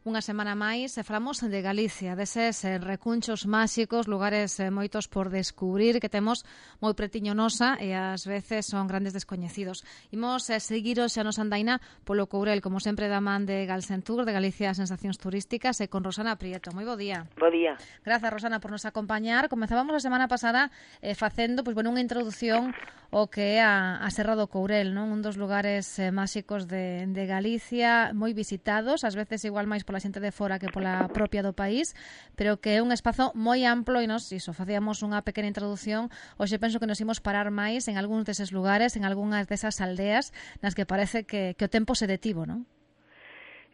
Unha semana máis e falamos de Galicia, deses recunchos máxicos, lugares moitos por descubrir que temos moi pretiño nosa e ás veces son grandes descoñecidos. Imos seguiros xa nos andaina polo Courel, como sempre da man de Galsentur, de Galicia Sensacións Turísticas, e con Rosana Prieto. Moi bo día. Bo día. Grazas, Rosana, por nos acompañar. Comenzábamos a semana pasada facendo unha introducción o que é a Serra do Courel, non? Un dos lugares máxicos de Galicia, moi visitados, ás veces igual máis pola xente de fora que pola propia do país, pero que é un espazo moi amplo e nos facíamos unha pequena introducción. Hoxe penso que nos imos parar máis en algúns deses lugares, en algunhas desas aldeas nas que parece que o tempo se detivo, non?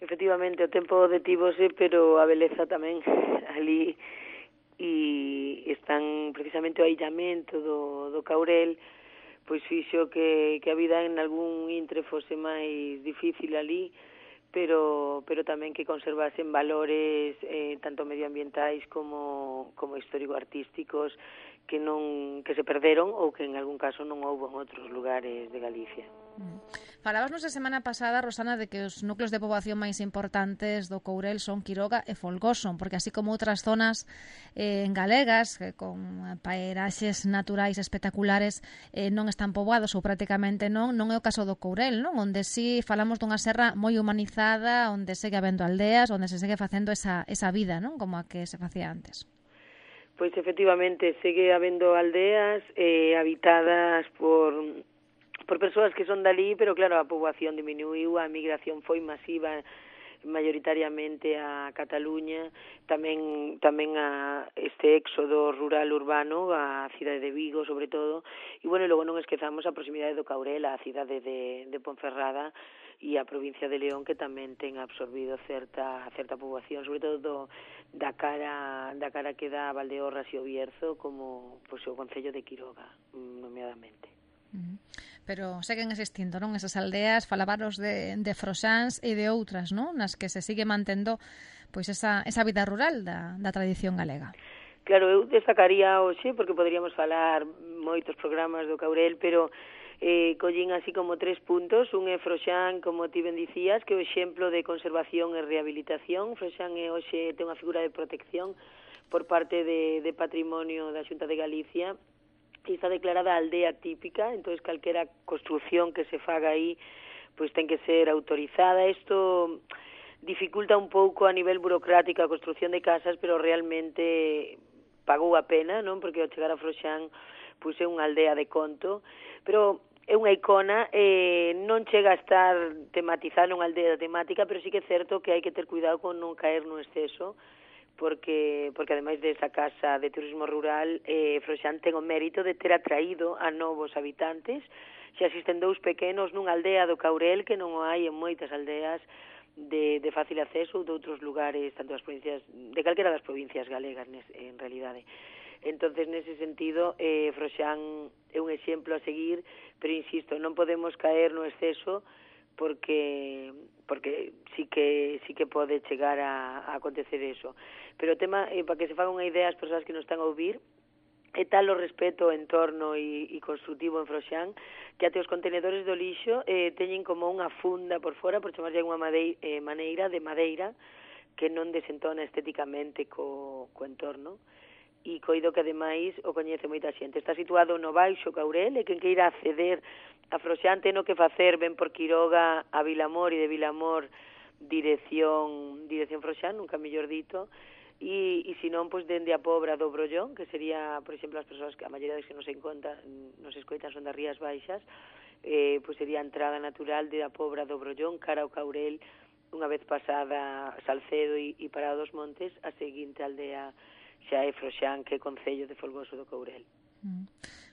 Efectivamente, o tempo detívose, pero a beleza tamén ali, e están precisamente o aillamento do Courel, pois fixo que a vida en algún intre fose máis difícil ali, pero tamén que conservasen valores tanto medioambientais como histórico-artísticos que se perderon ou que en algún caso non houbo en outros lugares de Galicia. Falabasnos a semana pasada, Rosana, de que os núcleos de poboación máis importantes do Courel son Quiroga e Folgoso, porque así como outras zonas galegas con pairaxes naturais espectaculares non están poboados ou prácticamente non é o caso do Courel, non? Onde sí falamos dunha serra moi humanizada, onde segue habendo aldeas, onde se segue facendo esa vida, non? Como a que se facía antes. Pois efectivamente, segue habendo aldeas habitadas por persoas que son dali, pero claro, a poboación diminuiu, a migración foi masiva mayoritariamente a Cataluña, tamén a este éxodo rural urbano, a cidade de Vigo sobre todo, e bueno, logo non esquezamos a proximidade do Courel, a cidade de Ponferrada e a provincia de León, que tamén ten absorbido certa poboación, sobre todo da cara que dá a Valdeorras e o Bierzo, como pois, o concello de Quiroga, nomeadamente. Pero seguen existindo, non? Esas aldeas, falábaros de Froxáns e de outras, non? Nas que se sigue mantendo pois esa vida rural da tradición galega. Claro, eu destacaría hoxe, porque poderíamos falar moitos programas do Courel, pero collín así como 3 puntos. Un é Froxán, como ti ben dicías, que é o exemplo de conservación e rehabilitación. Froxán hoxe ten unha figura de protección por parte de Patrimonio da Xunta de Galicia, e está declarada aldea típica, entonces calquera construcción que se faga aí pois ten que ser autorizada. Isto dificulta un pouco a nivel burocrático a construcción de casas, pero realmente pagou a pena, non? Porque ao chegar a Froxán pois é unha aldea de conto, pero é unha icona, non chega a estar tematizada nunha aldea temática, pero sí que é certo que hai que ter cuidado con non caer no exceso, porque ademais desa casa de turismo rural, Froxán ten o mérito de ter atraído a novos habitantes. Xa existen 2 pequenos nunha aldea do Courel, que non o hai en moitas aldeas de fácil acceso ou de outros lugares, tanto das provincias, de calquera das provincias galegas en realidade. Entonces, nese sentido, Froxán é un exemplo a seguir, pero insisto, non podemos caer no exceso, porque sí que pode chegar a acontecer eso. Pero o tema, para que se faga unha idea as persoas que nos están a ouvir, é tal o respeto ao entorno e construtivo en Froxán, que até os contenedores do lixo teñen como unha funda por fora, por chamarlle unha maneira de madeira, que non desentona estéticamente co entorno, e coido que ademais o coñece moita xente. Está situado no Baixo Courel, e quen queira acceder a Froxán ten o que facer, ven por Quiroga a Vilamor, e de Vilamor dirección Froxán, nunca mellor dito, e se non, pois dende a Pobra do Brollón, que sería, por exemplo, as persoas que a maioría que nos escoitan son das Rías Baixas, pois sería a entrada natural de a Pobra do Brollón cara ao Courel, unha vez pasada Salcedo e Parada dos Montes, a seguinte aldea xa é Froxán, que é concello de Folgoso do Courel.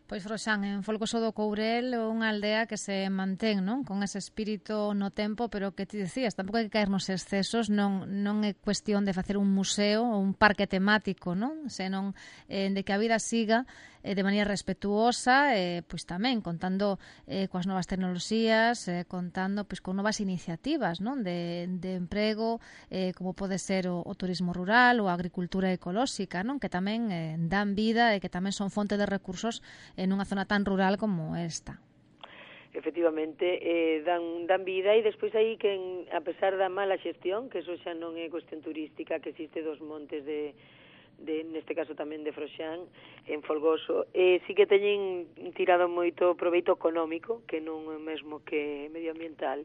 Pois Froxán, en Folgoso do Courel, é unha aldea que se mantén, non? Con ese espírito no tempo, pero que ti decías, tampouco hai que caer nos excesos, non é cuestión de facer un museo ou un parque temático, non? Senón de que a vida siga de maneira respetuosa, pois tamén contando coas novas tecnoloxías, contando pois con novas iniciativas, non? De emprego, como pode ser o turismo rural ou a agricultura ecolóxica, non? Que tamén dan vida e que tamén son fonte de recursos en unha zona tan rural como esta. efectivamente, dan vida, e despois aí que, a pesar da mala xestión, que eso xa non é cuestión turística, que existe dos montes neste caso tamén de Froxán, en Folgoso, sí que teñen tirado moito proveito económico, que non é mesmo que medioambiental,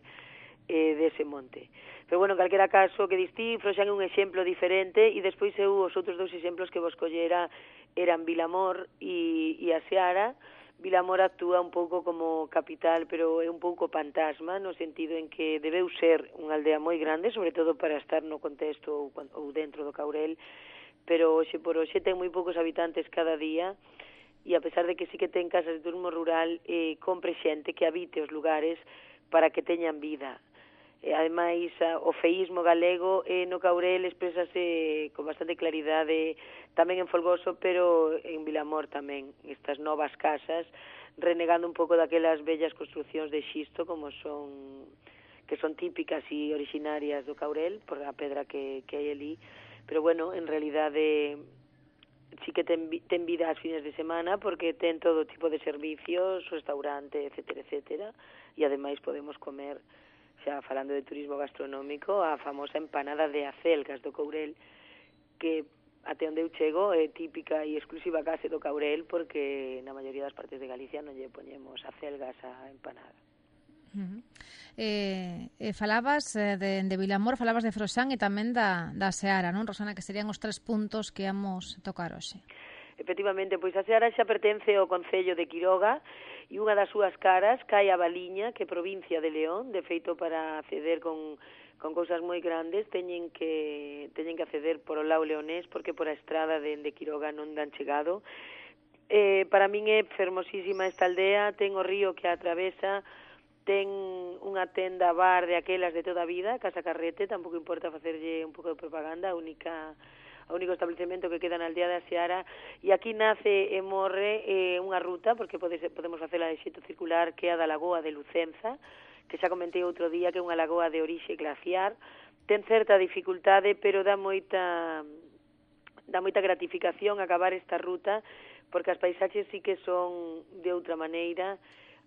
dese monte. Pero bueno, en calquera caso, que distí, Froxán é un exemplo diferente, e despois os outros dous exemplos que vos collera eran Vilamor e a Seara. Vilamor actúa un pouco como capital, pero é un pouco fantasma, no sentido en que debeu ser unha aldea moi grande, sobre todo para estar no contexto ou dentro do Caurel, pero hoxe por hoxe ten moi poucos habitantes cada día, e a pesar de que sí que ten casas de turismo rural, compre xente que habite os lugares para que teñan vida. Ademais, o feísmo galego no Caurel expresase con bastante claridade tamén en Folgoso, pero en Vilamor tamén, estas novas casas, renegando un pouco daquelas bellas construcións de xisto que son típicas e originarias do Caurel, por a pedra que hai ali, pero bueno, en realidade sí que ten vida as fines de semana, porque ten todo tipo de servicios, restaurante, etcétera, etcétera, e ademais podemos comer, xa falando de turismo gastronómico, a famosa empanada de acelgas do Caurel, que até onde eu chego é típica e exclusiva case do Caurel, porque na maioría das partes de Galicia non lle poñemos acelgas á empanada. Falabas de Vilamor, falabas de Froxán e tamén da Seara, non, Rosana, que serían os 3 puntos que íamos tocar hoxe. Efectivamente, pois a Seara xa pertence ao concello de Quiroga, e unha das súas caras cae a Valiña, que é provincia de León. De feito, para acceder con cousas moi grandes teñen que acceder por o lado leonés, porque por a estrada de Quiroga non dan chegado. Para min é fermosísima esta aldea, ten o río que a atravesa, ten unha tenda bar de aquelas de toda a vida, Casa Carrete, tampouco importa facerlle un pouco de propaganda, o único establecemento que queda na aldea da Seara, e aquí nace e morre unha ruta, porque podemos facela de xeito circular, que é a da Lagoa de Lucenza, que xa comentei outro día, que é unha lagoa de orixe glaciar. Ten certa dificultade, pero dá moita gratificación acabar esta ruta, porque as paisaxes sí que son de outra maneira,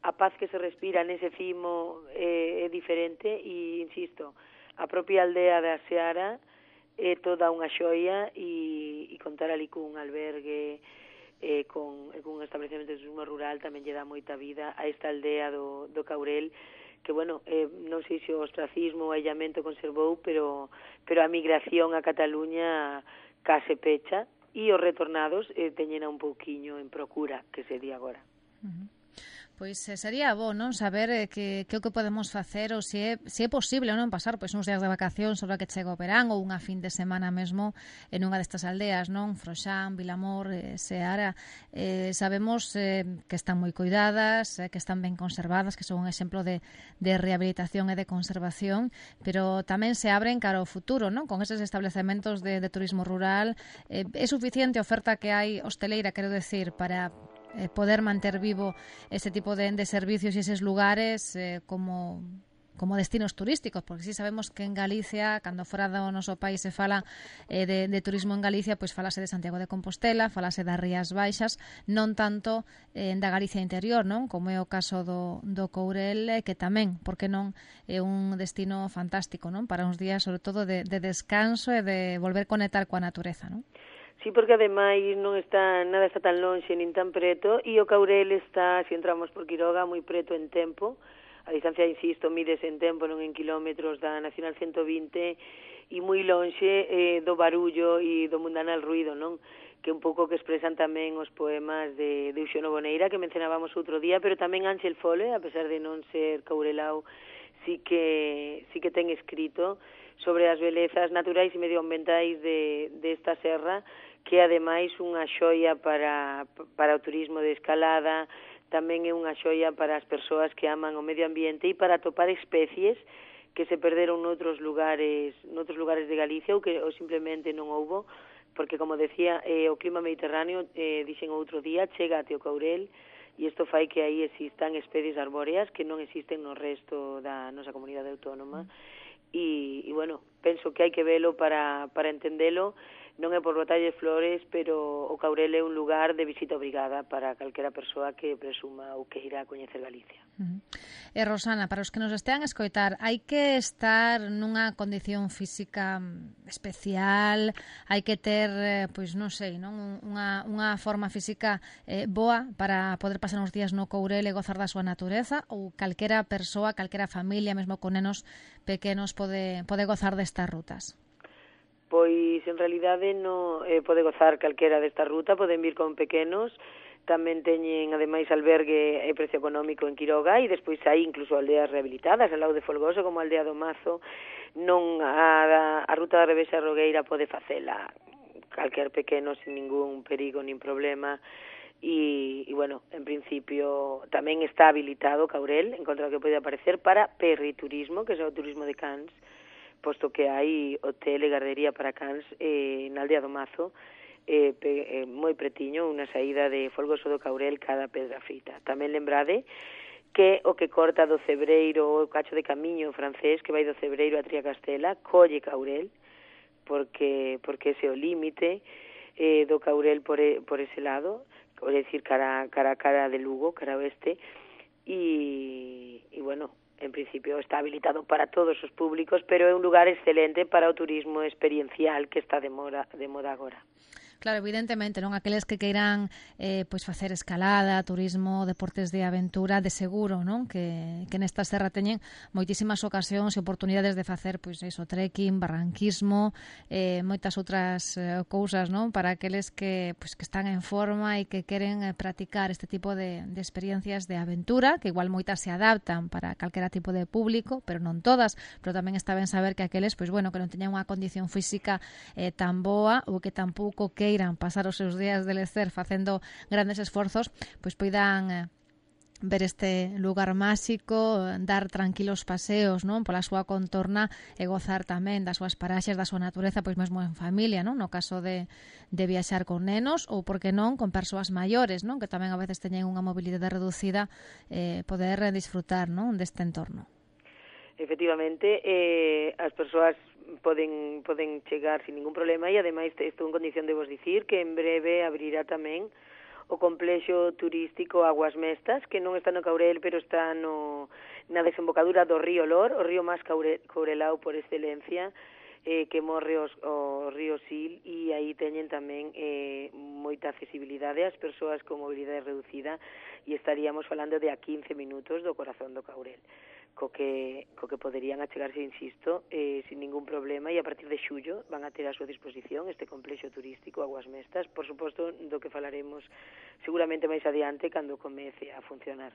a paz que se respira nese cimo é diferente, e, insisto, a propia aldea da Seara é toda unha xoia, e contar ali cun albergue, con un establecemento de turismo rural tamén lle dá moita vida a esta aldea do Caurel, que, bueno, non sei se o ostracismo ou o aillamento conservou, pero a migración a Cataluña case pecha, e os retornados teñen un pouquiño en procura, que se di agora. Pois sería bo, non, saber que o que podemos facer, ou se é posible, non, pasar pois uns días de vacación sobre que chega o verán, ou unha fin de semana mesmo en unha destas aldeas, non, Froxán, Vilamor, Seara. Sabemos que están moi cuidadas, que están ben conservadas, que son un exemplo de rehabilitación e de conservación, pero tamén se abren cara ao futuro, non, con eses establecementos de turismo rural. É suficiente a oferta que hai hosteleira, quero decir, para poder manter vivo ese tipo de servicios e eses lugares como destinos turísticos, porque si sabemos que en Galicia, cando fora do noso país se fala de turismo en Galicia, pois falase de Santiago de Compostela, falase das Rías Baixas, non tanto da Galicia interior, non, como é o caso do Courel, que tamén, porque non, é un destino fantástico, non, para uns días, sobre todo, de descanso e de volver conectar coa natureza, non? Sí, porque ademais nada está tan lonxe nin tan preto, e o Caurel está, se entramos por Quiroga, moi preto en tempo. A distancia, insisto, mides en tempo, non en kilómetros, da Nacional 120, e moi lonxe do barullo e do mundanal ruido, non? Que un pouco que expresan tamén os poemas de Uxono Boneira, que mencionábamos outro día, pero tamén Ángel Fole, a pesar de non ser caurelao, sí que ten escrito sobre as belezas naturais e medioambientais desta serra, que ademais unha xoia para o turismo de escalada, tamén é unha xoia para as persoas que aman o medio ambiente e para atopar especies que se perderon noutros lugares de Galicia ou simplemente non houbo, porque, como decía, o clima mediterráneo, dixen outro día, chega até o Caurel, e isto fai que aí existan especies arbóreas que non existen no resto da nosa comunidade autónoma. E bueno, penso que hai que velo para entendelo. non é por botalles flores, pero o Caurel é un lugar de visita obrigada para calquera persoa que presuma ou queira coñecer Galicia. Rosana, para os que nos estean a escoitar, hai que estar nunha condición física especial, hai que ter, pois non sei, non unha forma física boa para poder pasar uns días no Courel e gozar da súa natureza, ou calquera persoa, calquera familia, mesmo con nenos pequenos, pode gozar destas rutas? Pois, en realidade, pode gozar calquera desta ruta, poden vir con pequenos, tamén teñen, ademais, albergue e precio económico en Quiroga, e despois hai incluso aldeas rehabilitadas, ao lado de Folgoso, como a aldea do Mazo. Non a ruta da Revesa Rogueira pode facela calquer pequeno sin ningún perigo nin problema, e bueno, en principio tamén está habilitado Caurel, en contra do que pode aparecer, para perriturismo, que é o turismo de cans, posto que hai hotel e gardería para cans na aldea do Mazo, moi pretiño, unha saída de Folgoso do Caurel cada Pedra Frita. Tamén lembrade que o que corta do Cebreiro, o cacho de camiño francés que vai do Cebreiro a Triacastela, colle Caurel, porque ese é o límite do Caurel por ese lado, é dicir, cara de Lugo, cara oeste, e bueno, en principio está habilitado para todos os públicos, pero é un lugar excelente para o turismo experiencial que está de moda agora. Claro, evidentemente, non aqueles que queiran pois facer escalada, turismo, deportes de aventura, de seguro, non? Que nesta serra teñen moitísimas ocasións e oportunidades de facer pois iso, trekking, barranquismo, moitas outras cousas, non? Para aqueles que están en forma e que queren practicar este tipo de experiencias de aventura, que igual moitas se adaptan para calquera tipo de público, pero non todas, pero tamén está ben saber que aqueles, pois bueno, que non teñan unha condición física tan boa ou que tampouco queiran pasar os seus días de lecer facendo grandes esforzos, pois poidan ver este lugar máxico, dar tranquilos paseos, non, pola súa contorna e gozar tamén das súas paraxes, da súa natureza, pois mesmo en familia, non, no caso de viaxar con nenos ou, por que non, con persoas maiores, non, que tamén a veces teñen unha mobilidade reducida, poder disfrutar, non, deste entorno. Efectivamente, as persoas poden chegar sin ningún problema, e ademais estou en condición de vos dicir que en breve abrirá tamén o complexo turístico Aguas Mestas, que non está no Caurel, pero está na desembocadura do río Lor, o río máis caurelao por excelencia, que morre o río Sil, e aí teñen tamén moita accesibilidade ás persoas con mobilidade reducida, e estaríamos falando de a 15 minutos do corazón do Caurel, co que poderían achegarse, insisto, sin ningún problema, e a partir de xullo van a ter a súa disposición este complexo turístico Aguas Mestas, por suposto, do que falaremos seguramente máis adiante cando comece a funcionar.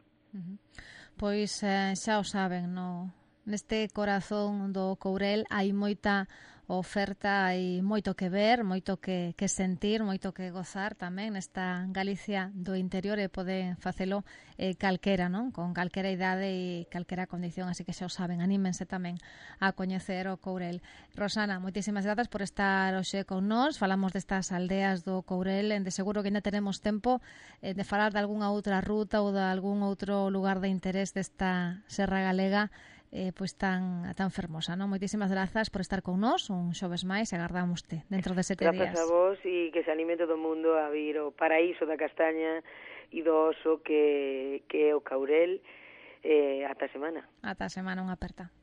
Pois xa o saben, neste corazón do Courel hai moita oferta, hai moito que ver, moito que sentir, moito que gozar tamén nesta Galicia do interior, e pode facelo calquera, non? Con calquera idade e calquera condición, así que xa o saben, anímense tamén a coñecer o Courel. Rosana, moitísimas grazas por estar hoxe con nós, falamos destas aldeas do Courel, de seguro que ainda teremos tempo de falar de algunha outra ruta ou de algún outro lugar de interés desta Serra Galega pois tan fermosa, non? Moitísimas grazas por estar con nós un xoves máis, e agardámoste dentro de 7 días. Grazas a vos, e que se anime todo o mundo a vir o paraíso da castaña e do oso que é o Caurel ata a semana. Ata a semana, unha aperta.